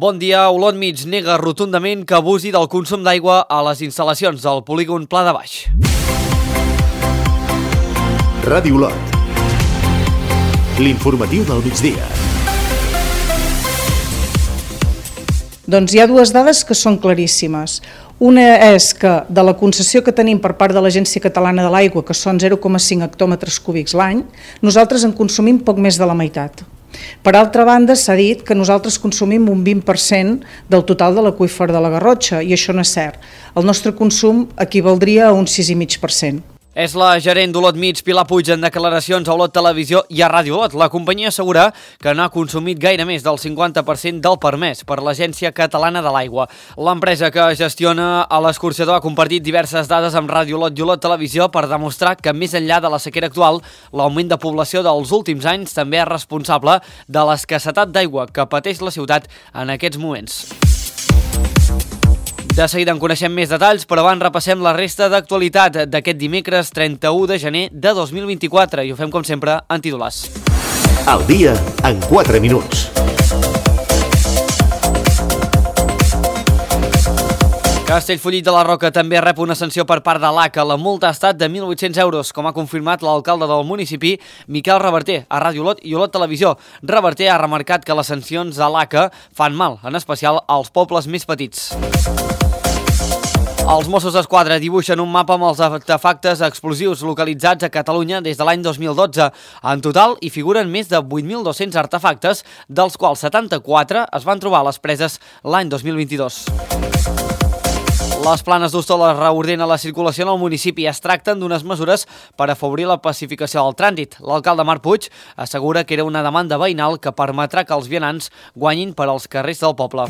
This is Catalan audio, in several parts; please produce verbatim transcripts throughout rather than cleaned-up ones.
Bon dia. Olot Mig nega rotundament que abusi del consum d'aigua a les instal·lacions del polígon Pla de Baix. Ràdio Olot. L'informatiu del migdia. Doncs hi ha dues dades que són claríssimes. Una és que de la concessió que tenim per part de l'Agència Catalana de l'Aigua, que són zero coma cinc hectòmetres cúbics l'any, nosaltres en consumim poc més de la meitat. Per altra banda, s'ha dit que nosaltres consumim un vint per cent del total de l'aqüífer de la Garrotxa, i això no és cert. El nostre consum equivaldria a un sis coma cinc per cent. És la gerent d'Olot Mig, Pilar Puig, en declaracions a Olot Televisió i a Ràdio Olot. La companyia assegura que no ha consumit gaire més del cinquanta per cent del permès per l'Agència Catalana de l'Aigua. L'empresa que gestiona a l'escorxador ha compartit diverses dades amb Ràdio Olot i Olot Televisió per demostrar que més enllà de la sequera actual, l'augment de població dels últims anys també és responsable de l'escassetat d'aigua que pateix la ciutat en aquests moments. De seguida en coneixem més detalls, però abans repassem la resta d'actualitat d'aquest dimecres trenta-u de gener de dos mil vint-i-quatre i ho fem com sempre en titulars. Al dia en quatre minuts. Castellfollit de la Roca també rep una sanció per part de l'A C A. La multa ha estat de mil vuit-cents euros, com ha confirmat l'alcalde del municipi, Miquel Reverter, a Ràdio Olot i Olot Televisió. Reverter ha remarcat que les sancions de l'A C A fan mal, en especial als pobles més petits. Els Mossos d'Esquadra dibuixen un mapa amb els artefactes explosius localitzats a Catalunya des de l'any dos mil dotze. En total, hi figuren més de vuit mil dos-cents artefactes, dels quals setanta-quatre es van trobar a les preses l'any dos mil vint-i-dos. Les Planes d'Hostoles reordena la circulació en el municipi i es tracten d'unes mesures per afavorir la pacificació del trànsit. L'alcalde Marc Puig assegura que era una demanda veïnal que permetrà que els vianants guanyin per als carrers del poble.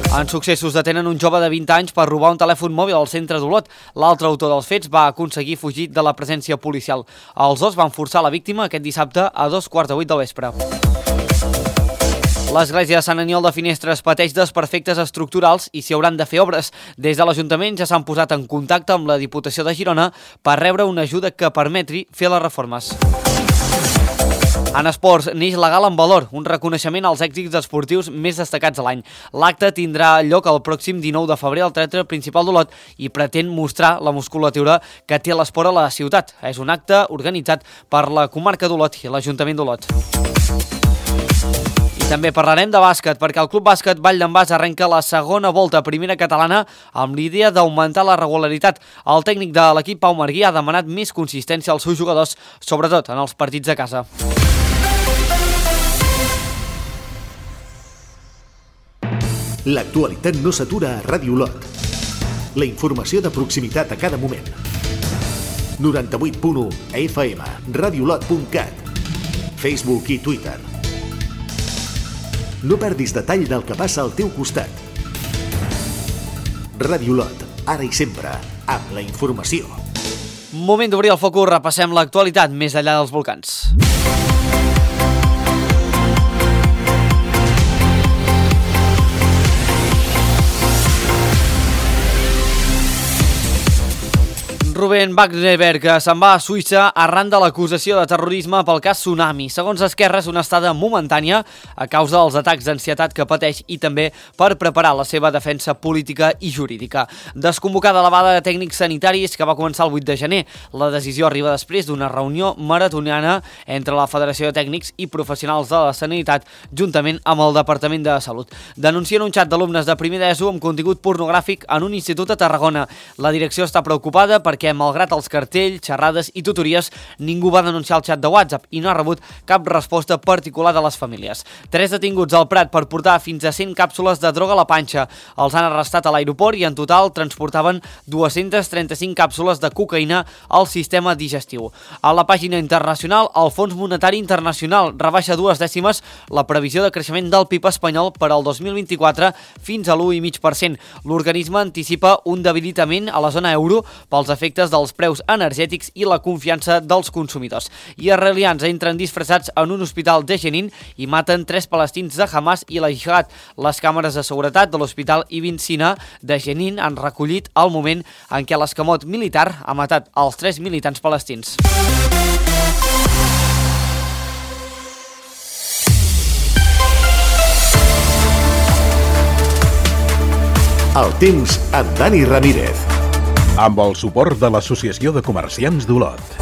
En Successos detenen un jove de vint anys per robar un telèfon mòbil al centre d'Olot. L'altre autor dels fets va aconseguir fugir de la presència policial. Els dos van forçar la víctima aquest dissabte a dos quarts de vuit del vespre. L'església de Sant Aniol de Finestres pateix desperfectes estructurals i s'hi hauran de fer obres. Des de l'Ajuntament ja s'han posat en contacte amb la Diputació de Girona per rebre una ajuda que permetri fer les reformes. En esports, neix la Gala en Valor, un reconeixement als èxits esportius més destacats de l'any. L'acte tindrà lloc el pròxim dinou de febrer al Teatre Principal d'Olot i pretén mostrar la musculatura que té l'esport a la ciutat. És un acte organitzat per la comarca d'Olot i l'Ajuntament d'Olot. I també parlarem de bàsquet, perquè el Club Bàsquet Vall d'en Bas arrenca la segona volta a primera catalana amb l'idea d'augmentar la regularitat. El tècnic de l'equip, Pau Marguí, ha demanat més consistència als seus jugadors, sobretot en els partits de casa. L'actualitat no s'atura a Ràdio Olot. La informació de proximitat a cada moment. noranta-vuit punt u F M, radiolot punt cat, Facebook i Twitter. No perdis detall del que passa al teu costat. Ràdio Olot, ara i sempre, amb la informació. Moment d'obrir el focus, repassem l'actualitat més enllà dels volcans. Rubén Wagnerberg se'n va a Suïssa arran de l'acusació de terrorisme pel cas Tsunami. Segons Esquerra, és una estada momentània a causa dels atacs d'ansietat que pateix i també per preparar la seva defensa política i jurídica. Desconvocada la vaga de tècnics sanitaris que va començar el vuit de gener. La decisió arriba després d'una reunió maratoniana entre la Federació de Tècnics i Professionals de la Sanitat juntament amb el Departament de Salut. Denuncien un xat d'alumnes de primer d'ESO amb contingut pornogràfic en un institut a Tarragona. La direcció està preocupada perquè malgrat els cartells, xerrades i tutories, ningú va denunciar el xat de WhatsApp i no ha rebut cap resposta particular de les famílies. Tres detinguts al Prat per portar fins a cent càpsules de droga a la panxa. Els han arrestat a l'aeroport i en total transportaven dues-centes trenta-cinc càpsules de cocaïna al sistema digestiu. A la pàgina internacional, el Fons Monetari Internacional rebaixa dues dècimes la previsió de creixement del P I B espanyol per al dos mil vint-i-quatre fins a l'u coma cinc per cent. L'organisme anticipa un debilitament a la zona euro pels efectes dels preus energètics i la confiança dels consumidors. Israelians entren disfressats en un hospital de Jenin i maten tres palestins de Hamas i la Jihad. Les càmeres de seguretat de l'hospital Ibn Sina de Jenin han recollit el moment en què l'escamot militar ha matat els tres militants palestins. El temps amb Dani Ramírez. Amb el suport de l'Associació de Comerciants d'Olot.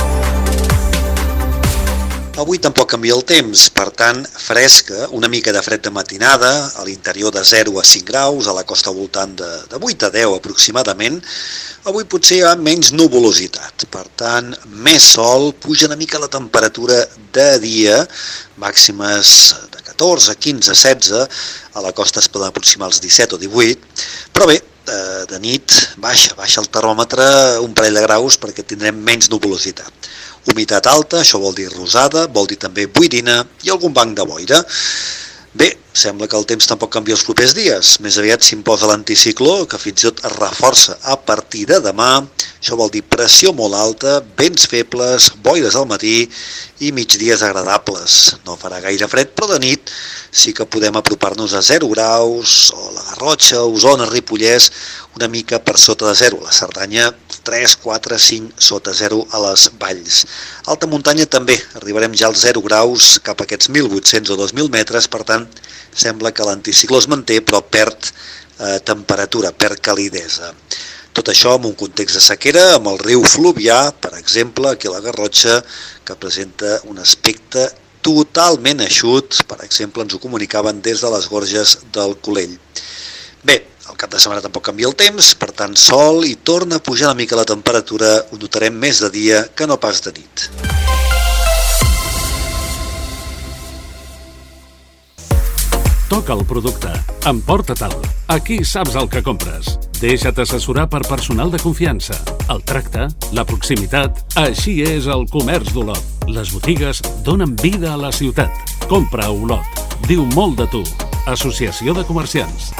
Avui tampoc canvia el temps, per tant, fresca, una mica de fred de matinada, a l'interior de zero a cinc graus, a la costa al voltant de, de vuit a deu aproximadament. Avui potser hi ha menys nuvolositat, per tant, més sol, puja una mica la temperatura de dia, màximes de catorze, quinze, setze, a la costa es poden aproximar els disset o divuit, però bé, de nit baixa, baixa el termòmetre un parell de graus perquè tindrem menys nuvolositat. Humitat alta, això vol dir rosada, vol dir també boirina i algun banc de boira. Bé, sembla que el temps tampoc canvia els propers dies. Més aviat s'imposa l'anticicló, que fins i tot es reforça a partir de demà. Això vol dir pressió molt alta, vents febles, boires al matí i migdies agradables. No farà gaire fred, però de nit sí que podem apropar-nos a zero graus, o la Garrotxa, Osona, Ripollès, una mica per sota de zero. La Cerdanya, tres, quatre, cinc sota zero a les valls. Alta muntanya també, arribarem ja als zero graus, cap a aquests mil vuit-cents o dos mil metres, per tant, sembla que l'anticicló es manté, però perd eh, temperatura, perd calidesa. Tot això en un context de sequera, amb el riu Fluvià, per exemple, aquí a la Garrotxa, que presenta un aspecte totalment eixut, per exemple, ens ho comunicaven des de les Gorges del Colell. Bé, el cap de setmana tampoc canvia el temps, per tant, sol, i torna a pujar una mica la temperatura, ho notarem més de dia que no pas de nit. Toca el producte, emporta-te'l. Aquí saps el que compres. Deixa't assessorar per personal de confiança. El tracte, la proximitat, així és el comerç d'Olot. Les botigues donen vida a la ciutat. Compra a Olot. Diu molt de tu. Associació de Comerciants.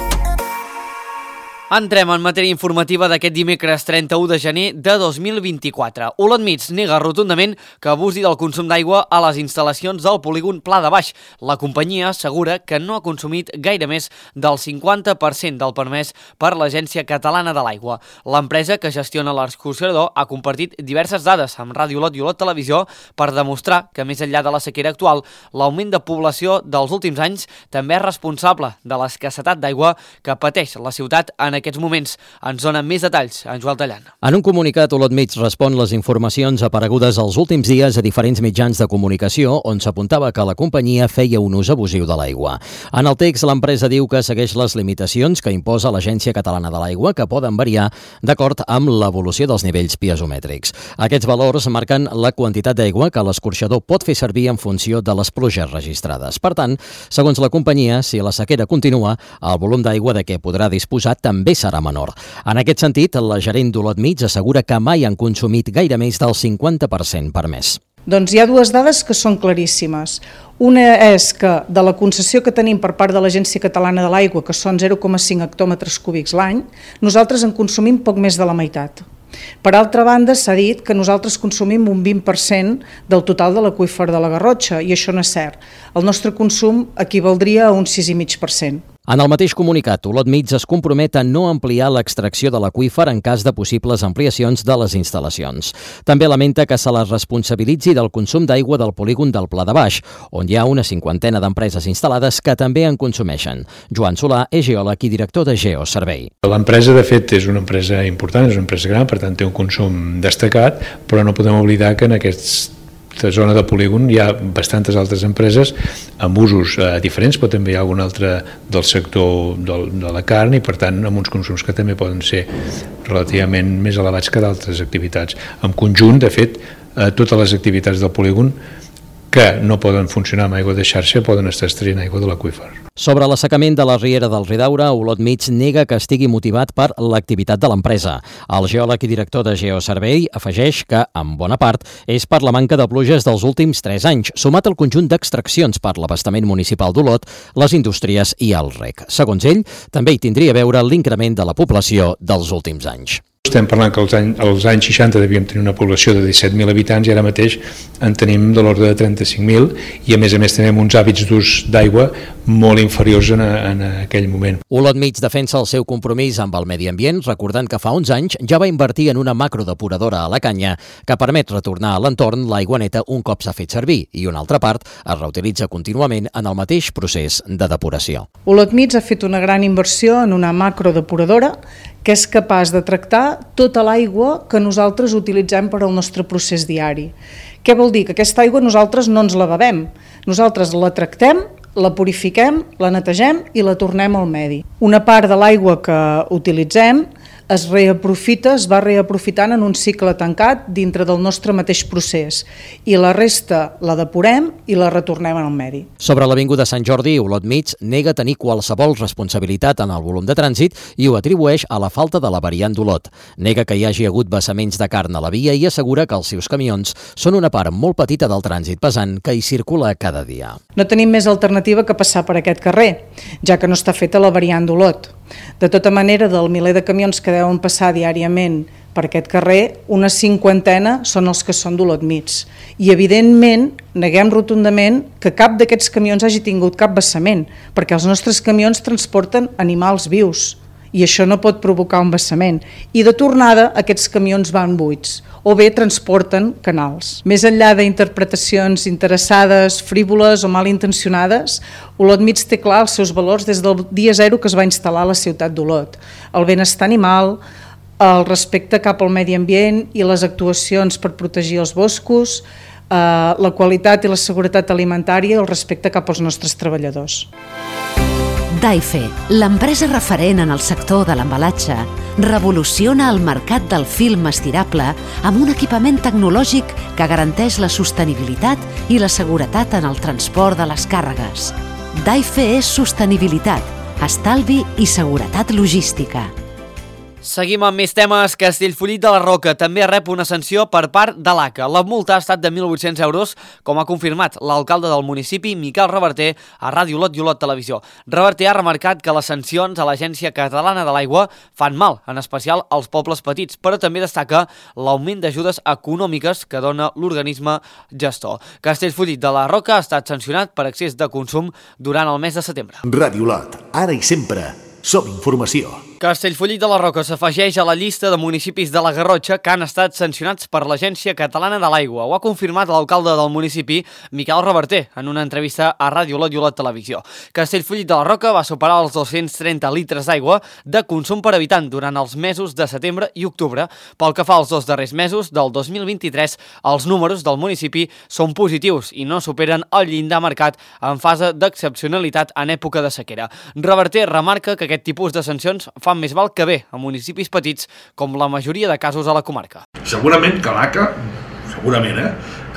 Entrem en matèria informativa d'aquest dimecres trenta-u de gener de dos mil vint-i-quatre. Olot Mig nega rotundament que abusi del consum d'aigua a les instal·lacions del polígon Pla de Baix. La companyia assegura que no ha consumit gaire més del cinquanta per cent del permès per l'Agència Catalana de l'Aigua. L'empresa que gestiona l'escorxador ha compartit diverses dades amb Ràdio Olot i Olot Televisió per demostrar que més enllà de la sequera actual, l'augment de població dels últims anys també és responsable de l'escassetat d'aigua que pateix la ciutat en aquests moments. Ens dona més detalls en Joel Tallant. En un comunicat, Olot Mig respon les informacions aparegudes els últims dies a diferents mitjans de comunicació on s'apuntava que la companyia feia un ús abusiu de l'aigua. En el text, l'empresa diu que segueix les limitacions que imposa l'Agència Catalana de l'Aigua, que poden variar d'acord amb l'evolució dels nivells piezomètrics. Aquests valors marquen la quantitat d'aigua que l'escorxador pot fer servir en funció de les pluges registrades. Per tant, segons la companyia, si la sequera continua, el volum d'aigua de què podrà disposar també també serà menor. En aquest sentit, la gerent d'Olot Mig assegura que mai han consumit gaire més del cinquanta per cent per mes. Doncs hi ha dues dades que són claríssimes. Una és que de la concessió que tenim per part de l'Agència Catalana de l'Aigua, que són zero coma cinc hectòmetres cúbics l'any, nosaltres en consumim poc més de la meitat. Per altra banda, s'ha dit que nosaltres consumim un vint per cent del total de l'aqüífer de la Garrotxa, i això no és cert. El nostre consum equivaldria a un sis coma cinc per cent. En el mateix comunicat, Olot Mig es compromet a no ampliar l'extracció de l'aqüífer en cas de possibles ampliacions de les instal·lacions. També lamenta que se la responsabilitzi del consum d'aigua del polígon del Pla de Baix, on hi ha una cinquantena d'empreses instal·lades que també en consumeixen. Joan Solà és geòleg i director de Geoservei. L'empresa, de fet, és una empresa important, és una empresa gran, per tant té un consum destacat, però no podem oblidar que en aquests aquesta zona de polígon hi ha bastantes altres empreses amb usos eh, diferents, però també hi ha algun altre del sector del, de la carn i per tant amb uns consums que també poden ser relativament més elevats que d'altres activitats. En conjunt, de fet, eh, totes les activitats del polígon que no poden funcionar amb aigua de xarxa poden estar extraient aigua de l'aqüífer. Sobre l'assecament de la riera del Ridaura, Olot Mig nega que estigui motivat per l'activitat de l'empresa. El geòleg i director de Geoservei afegeix que, en bona part, és per la manca de pluges dels últims tres anys, sumat al conjunt d'extraccions per l'abastament municipal d'Olot, les indústries i el rec. Segons ell, també hi tindria a veure l'increment de la població dels últims anys. Estem parlant que als anys, als anys seixanta devíem tenir una població de disset mil habitants i ara mateix en tenim de l'ordre de trenta-cinc mil i a més a més tenim uns hàbits d'ús d'aigua molt inferiors en, a, en aquell moment. Olot Mig defensa el seu compromís amb el medi ambient, recordant que fa uns anys ja va invertir en una macrodepuradora a la Canya que permet retornar a l'entorn l'aigua neta un cop s'ha fet servir i una altra part es reutilitza contínuament en el mateix procés de depuració. Olot Mig ha fet una gran inversió en una macrodepuradora que és capaç de tractar tota l'aigua que nosaltres utilitzem per al nostre procés diari. Què vol dir? Que aquesta aigua nosaltres no ens la bevem, nosaltres la tractem, la purifiquem, la netegem i la tornem al medi. Una part de l'aigua que utilitzem es reaprofita, es va reaprofitant en un cicle tancat dintre del nostre mateix procés i la resta la depurem i la retornem al medi. Sobre l'Avinguda Sant Jordi, Olot Mig nega tenir qualsevol responsabilitat en el volum de trànsit i ho atribueix a la falta de la variant d'Olot. Nega que hi hagi hagut vessaments de carn a la via i assegura que els seus camions són una part molt petita del trànsit pesant que hi circula cada dia. No tenim més alternativa que passar per aquest carrer, ja que no està feta la variant d'Olot. De tota manera, del miler de camions que deuen passar diàriament per aquest carrer, una cinquantena són els que són d'Olot Mig. I, evidentment, neguem rotundament que cap d'aquests camions hagi tingut cap vessament, perquè els nostres camions transporten animals vius i això no pot provocar un vessament. I de tornada, aquests camions van buits o bé transporten canals. Més enllà d'interpretacions interessades, frívoles o malintencionades, Olot Mig té clar els seus valors des del dia zero que es va instal·lar a la ciutat d'Olot. El benestar animal, el respecte cap al medi ambient i les actuacions per protegir els boscos, eh, la qualitat i la seguretat alimentària i el respecte cap als nostres treballadors. Daife, l'empresa referent en el sector de l'embalatge, revoluciona el mercat del film estirable amb un equipament tecnològic que garanteix la sostenibilitat i la seguretat en el transport de les càrregues. Daife és sostenibilitat, estalvi i seguretat logística. Seguim amb més temes. Castellfollit de la Roca també rep una sanció per part de l'A C A. La multa ha estat de mil vuit-cents euros, com ha confirmat l'alcalde del municipi, Miquel Reverter, a Ràdio Olot i Olot Televisió. Reverter ha remarcat que les sancions a l'Agència Catalana de l'Aigua fan mal, en especial als pobles petits, però també destaca l'augment d'ajudes econòmiques que dona l'organisme gestor. Castellfollit de la Roca ha estat sancionat per excés de consum durant el mes de setembre. Ràdio Olot, ara i sempre, som informació. Castellfollit de la Roca s'afegeix a la llista de municipis de la Garrotxa que han estat sancionats per l'Agència Catalana de l'Aigua. Ho ha confirmat l'alcalde del municipi, Miquel Reverter, en una entrevista a Ràdio Olot i Olot Televisió. Castellfollit de la Roca va superar els dos-cents trenta litres d'aigua de consum per habitant durant els mesos de setembre i octubre. Pel que fa als dos darrers mesos del dos mil vint-i-tres, els números del municipi són positius i no superen el llindar marcat en fase d'excepcionalitat en època de sequera. Reverter remarca que aquest tipus de sancions fan més mal que bé a municipis petits, com la majoria de casos a la comarca. Segurament que l'A C A, segurament, eh,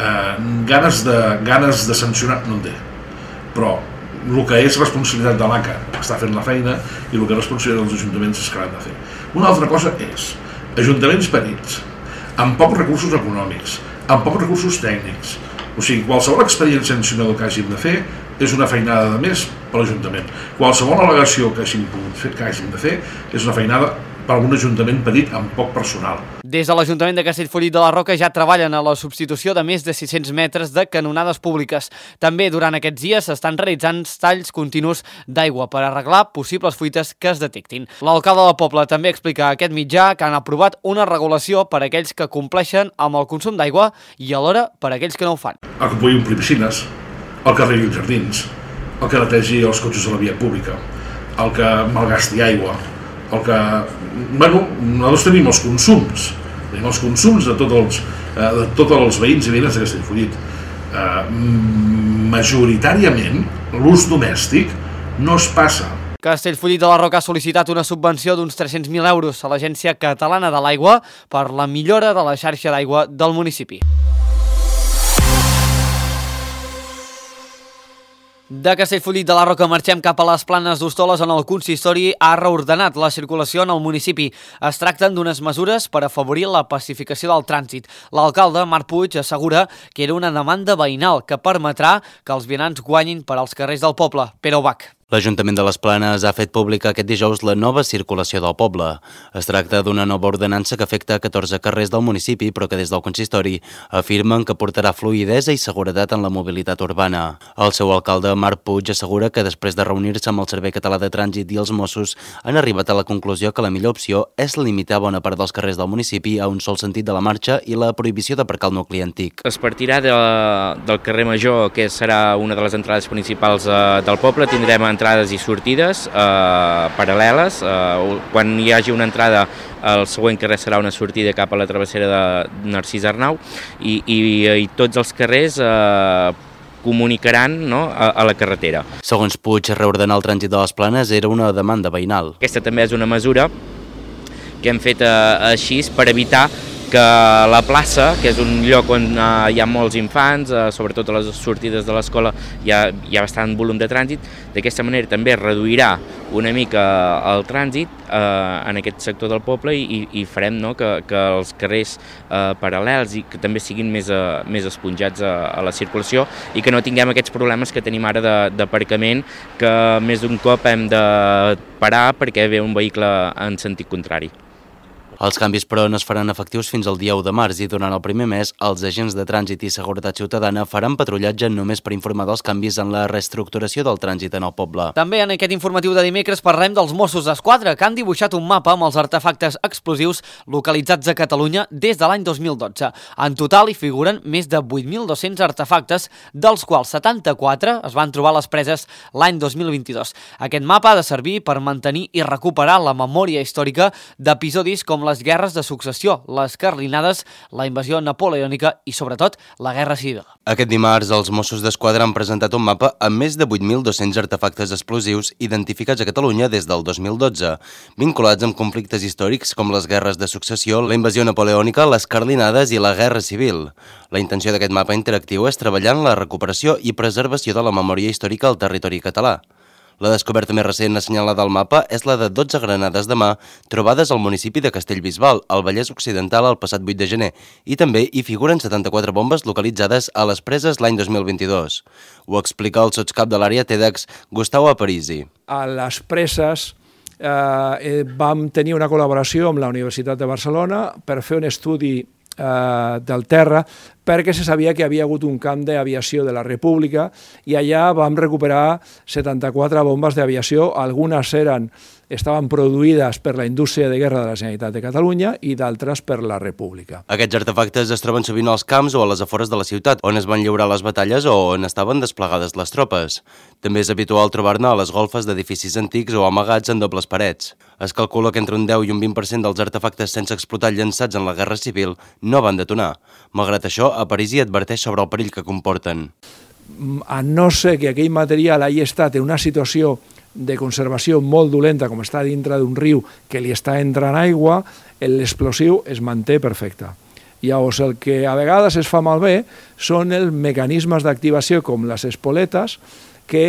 eh, ganes, de, ganes de sancionar no en té, però el que és responsabilitat de l'A C A està fent la feina i el que és responsabilitat dels ajuntaments és que l'han de fer. Una altra cosa és ajuntaments petits, amb pocs recursos econòmics, amb pocs recursos tècnics, o sigui, qualsevol expedient sancionador que hàgim de fer és una feinada de més per l'Ajuntament. Qualsevol al·legació que hàgim pogut fer, que hàgim de fer és una feinada per un ajuntament petit amb poc personal. Des de l'Ajuntament de Castellfollit de la Roca ja treballen a la substitució de més de sis-cents metres de canonades públiques. També durant aquests dies s'estan realitzant talls continus d'aigua per arreglar possibles fuites que es detectin. L'alcalde del poble també explica a aquest mitjà que han aprovat una regulació per a aquells que compleixen amb el consum d'aigua i alhora per a aquells que no ho fan. El que pugui omplir piscines, el que arregli els jardins, el que netegi els cotxes a la via pública, el que malgasti aigua, el que... Bueno, nosaltres tenim els consums, tenim els consums de tots els, eh, de tots els veïns i veïnes de Castellfollit. Eh, majoritàriament, l'ús domèstic no es passa. Castellfollit de la Roca ha sol·licitat una subvenció d'uns tres-cents mil euros a l'Agència Catalana de l'Aigua per la millora de la xarxa d'aigua del municipi. De Castellfollit de la Roca marxem cap a les Planes d'Hostoles, on el consistori ha reordenat la circulació en el municipi. Es tracten d'unes mesures per afavorir la pacificació del trànsit. L'alcalde, Marc Puig, assegura que era una demanda veïnal que permetrà que els vianants guanyin per als carrers del poble. Pere Ubach. L'Ajuntament de les Planes ha fet pública aquest dijous la nova circulació del poble. Es tracta d'una nova ordenança que afecta catorze carrers del municipi, però que des del consistori afirmen que portarà fluïdesa i seguretat en la mobilitat urbana. El seu alcalde, Marc Puig, assegura que després de reunir-se amb el Servei Català de Trànsit i els Mossos han arribat a la conclusió que la millor opció és limitar bona part dels carrers del municipi a un sol sentit de la marxa i la prohibició d'aparcar el nucli antic. Es partirà de, del carrer Major, que serà una de les entrades principals eh, del poble. Tindrem entrades i sortides eh, paral·leles. Eh, quan hi hagi una entrada, el següent carrer serà una sortida cap a la travessera de Narcís Arnau i, i, i tots els carrers eh, comunicaran, no, a, a la carretera. Segons Puig, reordenar el trànsit de les Planes era una demanda veïnal. Aquesta també és una mesura que hem fet eh, així per evitar que la plaça, que és un lloc on eh, hi ha molts infants, eh, sobretot a les sortides de l'escola hi ha, hi ha bastant volum de trànsit, d'aquesta manera també reduirà una mica el trànsit eh, en aquest sector del poble i, i farem, no, que, que els carrers eh, paral·lels i que també siguin més, eh, més esponjats a, a la circulació i que no tinguem aquests problemes que tenim ara d'aparcament, que més d'un cop hem de parar perquè ve un vehicle en sentit contrari. Els canvis, però, no es faran efectius fins al dia u de març i durant el primer mes els agents de trànsit i seguretat ciutadana faran patrullatge només per informar dels canvis en la reestructuració del trànsit en el poble. També en aquest informatiu de dimecres parlem dels Mossos d'Esquadra, que han dibuixat un mapa amb els artefactes explosius localitzats a Catalunya des de l'any dos mil dotze. En total hi figuren més de vuit mil dos-cents artefactes, dels quals setanta-quatre es van trobar a les preses l'any dos mil vint-i-dos. Aquest mapa ha de servir per mantenir i recuperar la memòria històrica d'episodis com les guerres de successió, les carlinades, la invasió napoleònica i, sobretot, la Guerra Civil. Aquest dimarts, els Mossos d'Esquadra han presentat un mapa amb més de vuit mil dos-cents artefactes explosius identificats a Catalunya des del dos mil dotze, vinculats amb conflictes històrics com les guerres de successió, la invasió napoleònica, les carlinades i la Guerra Civil. La intenció d'aquest mapa interactiu és treballar en la recuperació i preservació de la memòria històrica al territori català. La descoberta més recent assenyalada al mapa és la de dotze granades de mà trobades al municipi de Castellbisbal, al Vallès Occidental, el passat vuit de gener, i també hi figuren setanta-quatre bombes localitzades a les preses l'any dos mil vint-i-dos. Ho explica el sotscap de l'àrea TEDx, Gustavo Aparici. A les preses eh, vam tenir una col·laboració amb la Universitat de Barcelona per fer un estudi eh, del terra, perquè se sabia que havia hagut un camp d'aviació de la República i allà vam recuperar setanta-quatre bombes d'aviació, algunes eren, estaven produïdes per la indústria de guerra de la Generalitat de Catalunya i d'altres per la República. Aquests artefactes es troben sovint als camps o a les afores de la ciutat, on es van lliurar les batalles o on estaven desplegades les tropes. També és habitual trobar-ne a les golfes d'edificis antics o amagats en dobles parets. Es calcula que entre un deu i un vint per cent dels artefactes sense explotar llançats en la Guerra Civil no van detonar. Malgrat això, a París hi adverteix sobre el perill que comporten. A no ser que aquell material hagi estat en una situació de conservació molt dolenta, com està dintre d'un riu que li està entrant aigua, l'explosiu es manté perfecte. Llavors, el que a vegades es fa malbé són els mecanismes d'activació com les espoletes, que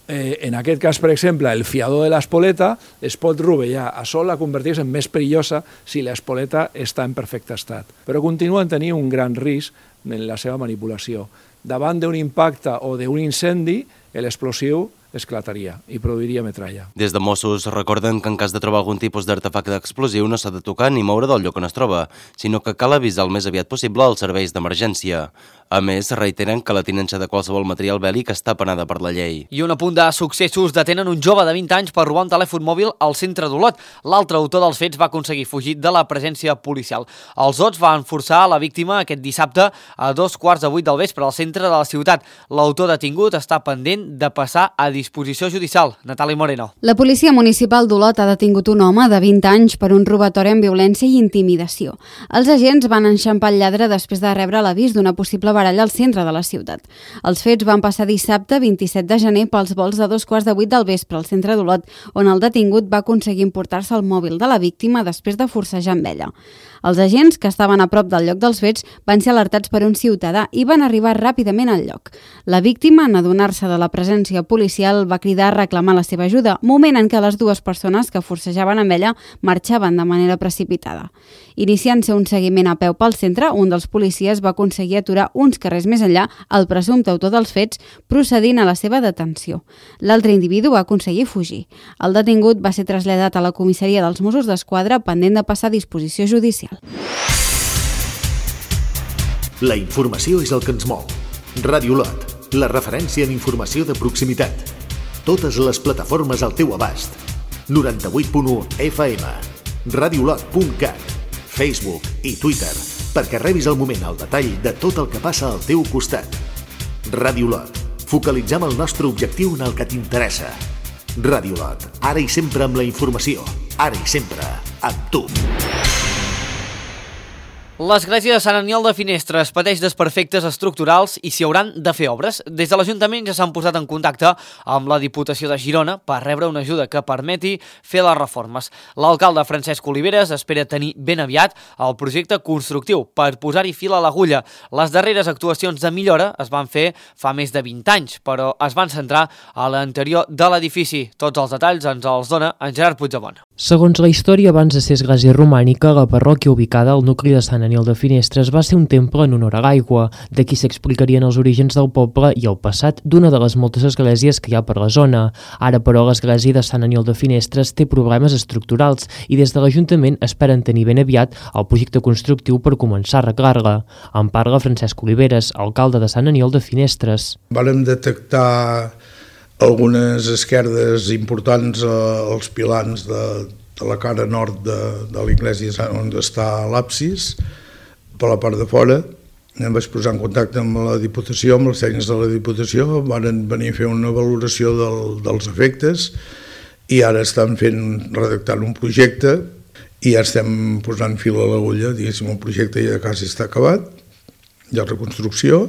eh, en aquest cas, per exemple, el fiador de l'espoleta es pot rovellar. Això la converteix en més perillosa si l'espoleta està en perfecte estat. Però continuen tenint un gran risc en la seva manipulació. Davant d'un impacte o d'un incendi, l'explosiu esclataria i produiria metralla. Des de Mossos recorden que en cas de trobar algun tipus d'artefacte explosiu no s'ha de tocar ni moure del lloc on es troba, sinó que cal avisar el més aviat possible als serveis d'emergència. A més, reiteren que la tinença de qualsevol material bèl·lic està penada per la llei. I un apunt de successos: detenen un jove de vint anys per robar un telèfon mòbil al centre d'Olot. L'altre autor dels fets va aconseguir fugir de la presència policial. Els Ots van forçar la víctima aquest dissabte a dos quarts de vuit del vespre al centre de la ciutat. L'autor detingut està pendent de passar a disposició judicial. Natàlia Moreno. La policia municipal d'Olot ha detingut un home de vint anys per un robatori amb violència i intimidació. Els agents van enxampar el lladre després de rebre l'avís d'una possible baralla al centre de la ciutat. Els fets van passar dissabte vint-i-set de gener pels vols de dos quarts de vuit del vespre al centre d'Olot, on el detingut va aconseguir emportar-se el mòbil de la víctima després de forcejar amb ella. Els agents, que estaven a prop del lloc dels fets, van ser alertats per un ciutadà i van arribar ràpidament al lloc. La víctima, en adonar-se de la presència policial, va cridar a reclamar la seva ajuda, moment en què les dues persones que forcejaven amb ella marxaven de manera precipitada. Iniciant-se un seguiment a peu pel centre, un dels policies va aconseguir aturar un uns carrers més enllà el presumpte autor dels fets, procedint a la seva detenció. L'altre individu va aconseguir fugir. El detingut va ser traslladat a la comissaria dels Mossos d'Esquadra pendent de passar a disposició judicial. La informació és el que ens mou. Ràdio Lot, la referència en informació de proximitat. Totes les plataformes al teu abast. noranta-vuit punt u F M, radiolot punt cat, Facebook i Twitter, perquè rebis al moment el detall de tot el que passa al teu costat. Ràdio Lot, focalitzem el nostre objectiu en el que t'interessa. Ràdio Lot, ara i sempre amb la informació, ara i sempre amb tu. L'església de Sant Aniol de Finestres pateix desperfectes estructurals i s'hi hauran de fer obres. Des de l'Ajuntament ja s'han posat en contacte amb la Diputació de Girona per rebre una ajuda que permeti fer les reformes. L'alcalde Francesc Oliveres espera tenir ben aviat el projecte constructiu per posar-hi fil a l'agulla. Les darreres actuacions de millora es van fer fa més de vint anys, però es van centrar a l'interior de l'edifici. Tots els detalls ens els dona en Gerard Puigdemont. Segons la història, abans de ser església romànica, la parròquia ubicada al nucli de Sant Aniol de Finestres va ser un temple en honor a l'aigua. D'aquí s'explicarien els orígens del poble i el passat d'una de les moltes esglésies que hi ha per la zona. Ara, però, l'església de Sant Aniol de Finestres té problemes estructurals i des de l'Ajuntament esperen tenir ben aviat el projecte constructiu per començar a arreglar-la. En parla Francesc Oliveres, alcalde de Sant Aniol de Finestres. Vàrem detectar algunes esquerdes importants als pilans de, de la cara nord de, de l'església on està l'absis, per la part de fora. Em vaig posar en contacte amb la Diputació, amb els tècnics de la Diputació, van venir a fer una valoració del, dels efectes i ara estan fent, redactant un projecte i ja estem posant fil a l'agulla, diguéssim, el projecte ja quasi està acabat, hi ha reconstrucció,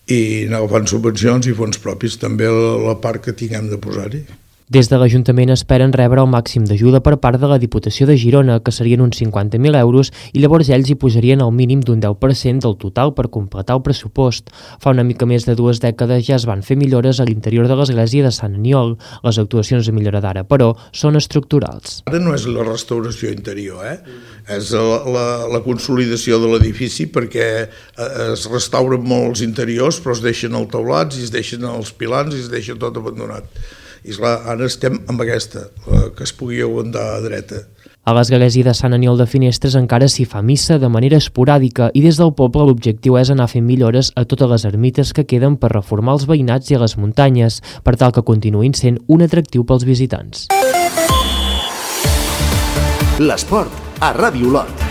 i anar agafant subvencions i fons propis, també la part que tinguem de posar-hi. Des de l'Ajuntament esperen rebre el màxim d'ajuda per part de la Diputació de Girona, que serien uns cinquanta mil euros, i llavors ells hi posarien el mínim d'un deu per cent del total per completar el pressupost. Fa una mica més de dues dècades ja es van fer millores a l'interior de l'església de Sant Aniol. Les actuacions de millora d'ara, però, són estructurals. Ara no és la restauració interior, eh? És la, la, la consolidació de l'edifici, perquè es restauren molts interiors, però es deixen els teulats i es deixen els pilans i es deixa tot abandonat. I esclar, ara estem amb aquesta, que es pugui aguantar a dreta. A l'església de Sant Aniol de Finestres encara s'hi fa missa de manera esporàdica i des del poble l'objectiu és anar fent millores a totes les ermites que queden per reformar els veïnats i a les muntanyes, per tal que continuïn sent un atractiu pels visitants. L'esport a Ràdio Lot.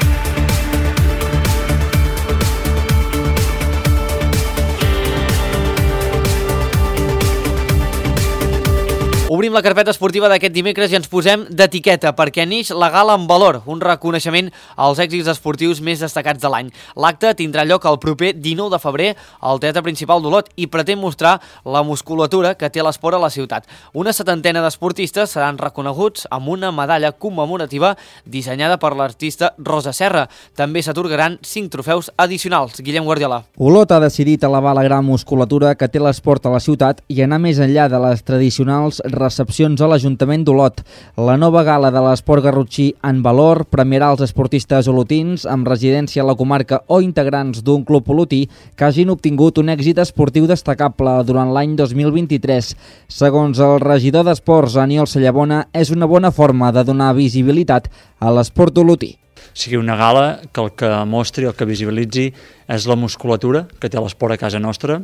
Obrim la carpeta esportiva d'aquest dimecres i ens posem d'etiqueta perquè neix la Gala en Valor, un reconeixement als èxits esportius més destacats de l'any. L'acte tindrà lloc el proper dinou de febrer al Teatre Principal d'Olot i pretén mostrar la musculatura que té l'esport a la ciutat. Una setantena d'esportistes seran reconeguts amb una medalla commemorativa dissenyada per l'artista Rosa Serra. També s'atorgaran cinc trofeus addicionals. Guillem Guardiola. Olot ha decidit elevar la gran musculatura que té l'esport a la ciutat i anar més enllà de les tradicionals recepcions a l'Ajuntament d'Olot. La nova gala de l'esport garrotxí en valor premiarà els esportistes olotins amb residència a la comarca o integrants d'un club olotí que hagin obtingut un èxit esportiu destacable durant l'any dos mil vint-i-tres. Segons el regidor d'Esports, Aniol Sallabona, és una bona forma de donar visibilitat a l'esport olotí. Sigui una gala que el que mostri, el que visibilitzi és la musculatura que té l'esport a casa nostra,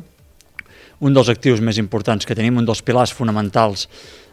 un dels actius més importants que tenim, un dels pilars fonamentals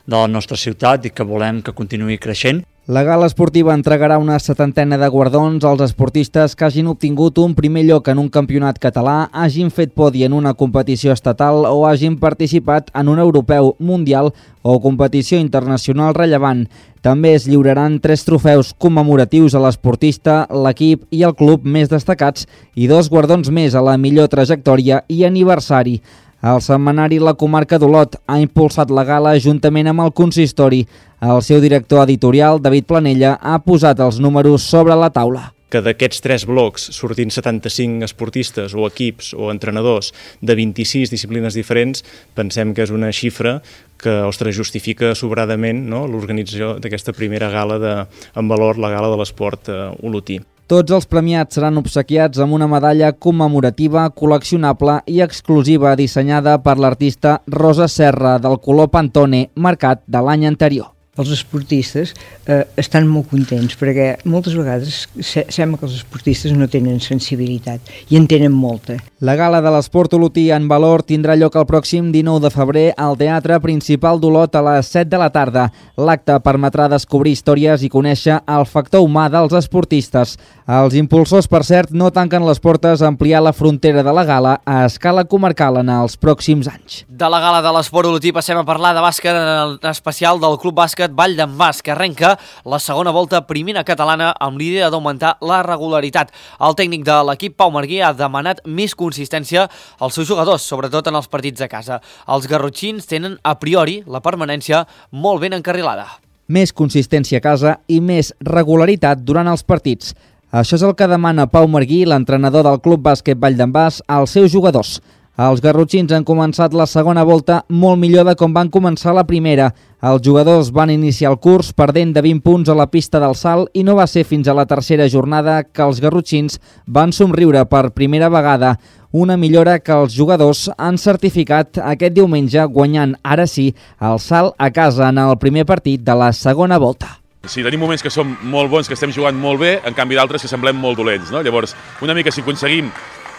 de la nostra ciutat i que volem que continuï creixent. La gala esportiva entregarà una setantena de guardons als esportistes que hagin obtingut un primer lloc en un campionat català, hagin fet podi en una competició estatal o hagin participat en un europeu, mundial o competició internacional rellevant. També es lliuraran tres trofeus commemoratius a l'esportista, l'equip i el club més destacats i dos guardons més a la millor trajectòria i aniversari. El setmanari La Comarca d'Olot ha impulsat la gala juntament amb el consistori. El seu director editorial, David Planella, ha posat els números sobre la taula. Que d'aquests tres blocs sortint setanta-cinc esportistes o equips o entrenadors de vint-i-sis disciplines diferents, pensem que és una xifra que, ostres, justifica sobradament, no?, l'organització d'aquesta primera gala de, en valor, la gala de l'esport eh, olotí. Tots els premiats seran obsequiats amb una medalla commemorativa, col·leccionable i exclusiva dissenyada per l'artista Rosa Serra del color Pantone marcat de l'any anterior. Els esportistes eh, estan molt contents perquè moltes vegades se sembla que els esportistes no tenen sensibilitat i en tenen molta. La gala de l'esport olotí en valor tindrà lloc el pròxim dinou de febrer al Teatre Principal d'Olot a les set de la tarda. L'acte permetrà descobrir històries i conèixer el factor humà dels esportistes. Els impulsors, per cert, no tanquen les portes a ampliar la frontera de la gala a escala comarcal en els pròxims anys. De la gala de l'esport olotí passem a parlar de bàsquet, en especial del Club Bàsquet Vall d'en Bas, que arrenca la segona volta primera catalana amb l'idea d'augmentar la regularitat. El tècnic de l'equip, Pau Marguí, ha demanat més consistència als seus jugadors, sobretot en els partits a casa. Els garrotxins tenen a priori la permanència molt ben encarrilada. Més consistència a casa i més regularitat durant els partits. Això és el que demana Pau Marguí, l'entrenador del Club Bàsquet Vall d'en Bas, als seus jugadors. Els garrotxins han començat la segona volta molt millor de com van començar la primera. Els jugadors van iniciar el curs perdent de vint punts a la pista del salt i no va ser fins a la tercera jornada que els garrotxins van somriure per primera vegada. Una millora que els jugadors han certificat aquest diumenge guanyant, ara sí, el salt a casa en el primer partit de la segona volta. Sí, tenim moments que som molt bons, que estem jugant molt bé, en canvi d'altres que semblem molt dolents, no? Llavors, una mica si aconseguim,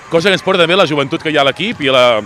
cosa que ens porta també la joventut que hi ha a l'equip i, la,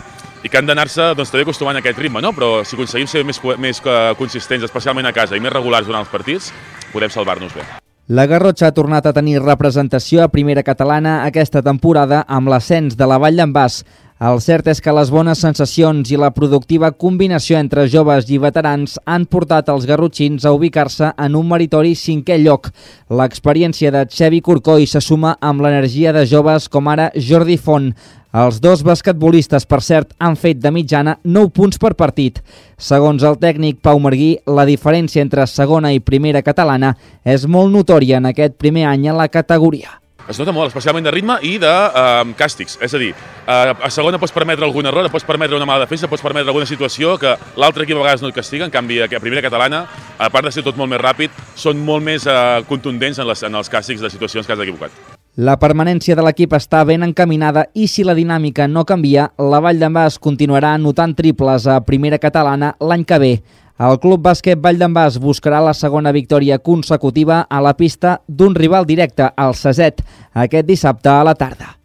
i que han d'anar-se doncs, també acostumant a aquest ritme, no? Però si aconseguim ser més, més consistents, especialment a casa, i més regulars durant els partits, podem salvar-nos bé. La Garrotxa ha tornat a tenir representació a primera catalana aquesta temporada amb l'ascens de la Vall d'en Bas. El cert és que les bones sensacions i la productiva combinació entre joves i veterans han portat els garrotxins a ubicar-se en un meritori cinquè lloc. L'experiència de Xevi Corcoy se suma amb l'energia de joves com ara Jordi Font. Els dos basquetbolistes, per cert, han fet de mitjana nou punts per partit. Segons el tècnic Pau Marguí, la diferència entre segona i primera catalana és molt notòria en aquest primer any a la categoria. Es nota molt, especialment de ritme i de eh, càstigs. És a dir, eh, a segona pots permetre algun error, pots permetre una mala defensa, pots permetre alguna situació que l'altre equip a vegades no et castiga. En canvi, a primera catalana, a part de ser tot molt més ràpid, són molt més eh, contundents en, les, en els càstigs de situacions que has equivocat. La permanència de l'equip està ben encaminada i si la dinàmica no canvia, la Vall d'en Bas continuarà anotant triples a primera catalana l'any que ve. El Club Bàsquet Vall d'en Bas buscarà la segona victòria consecutiva a la pista d'un rival directe, el Seset, aquest dissabte a la tarda.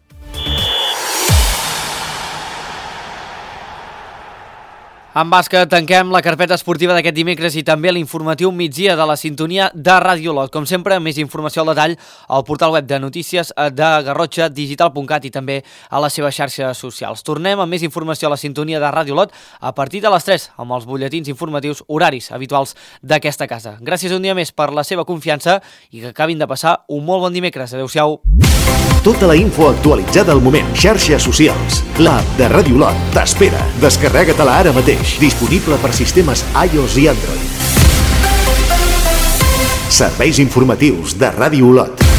En bàsquet tanquem la carpeta esportiva d'aquest dimecres i també l'informatiu migdia de la sintonia de Ràdio Olot. Com sempre, més informació al detall al portal web de notícies de Garrotxa, digital punt cat i també a les seves xarxes socials. Tornem amb més informació a la sintonia de Ràdio Olot a partir de les tres amb els butlletins informatius horaris habituals d'aquesta casa. Gràcies un dia més per la seva confiança i que acabin de passar un molt bon dimecres. Adéu-siau. Tota la info actualitzada al moment. Xarxes socials. L'app de Ràdio Olot t'espera. Descarrega-te-la ara mateix. Disponible per sistemes iOS i Android. Serveis informatius de Ràdio Olot.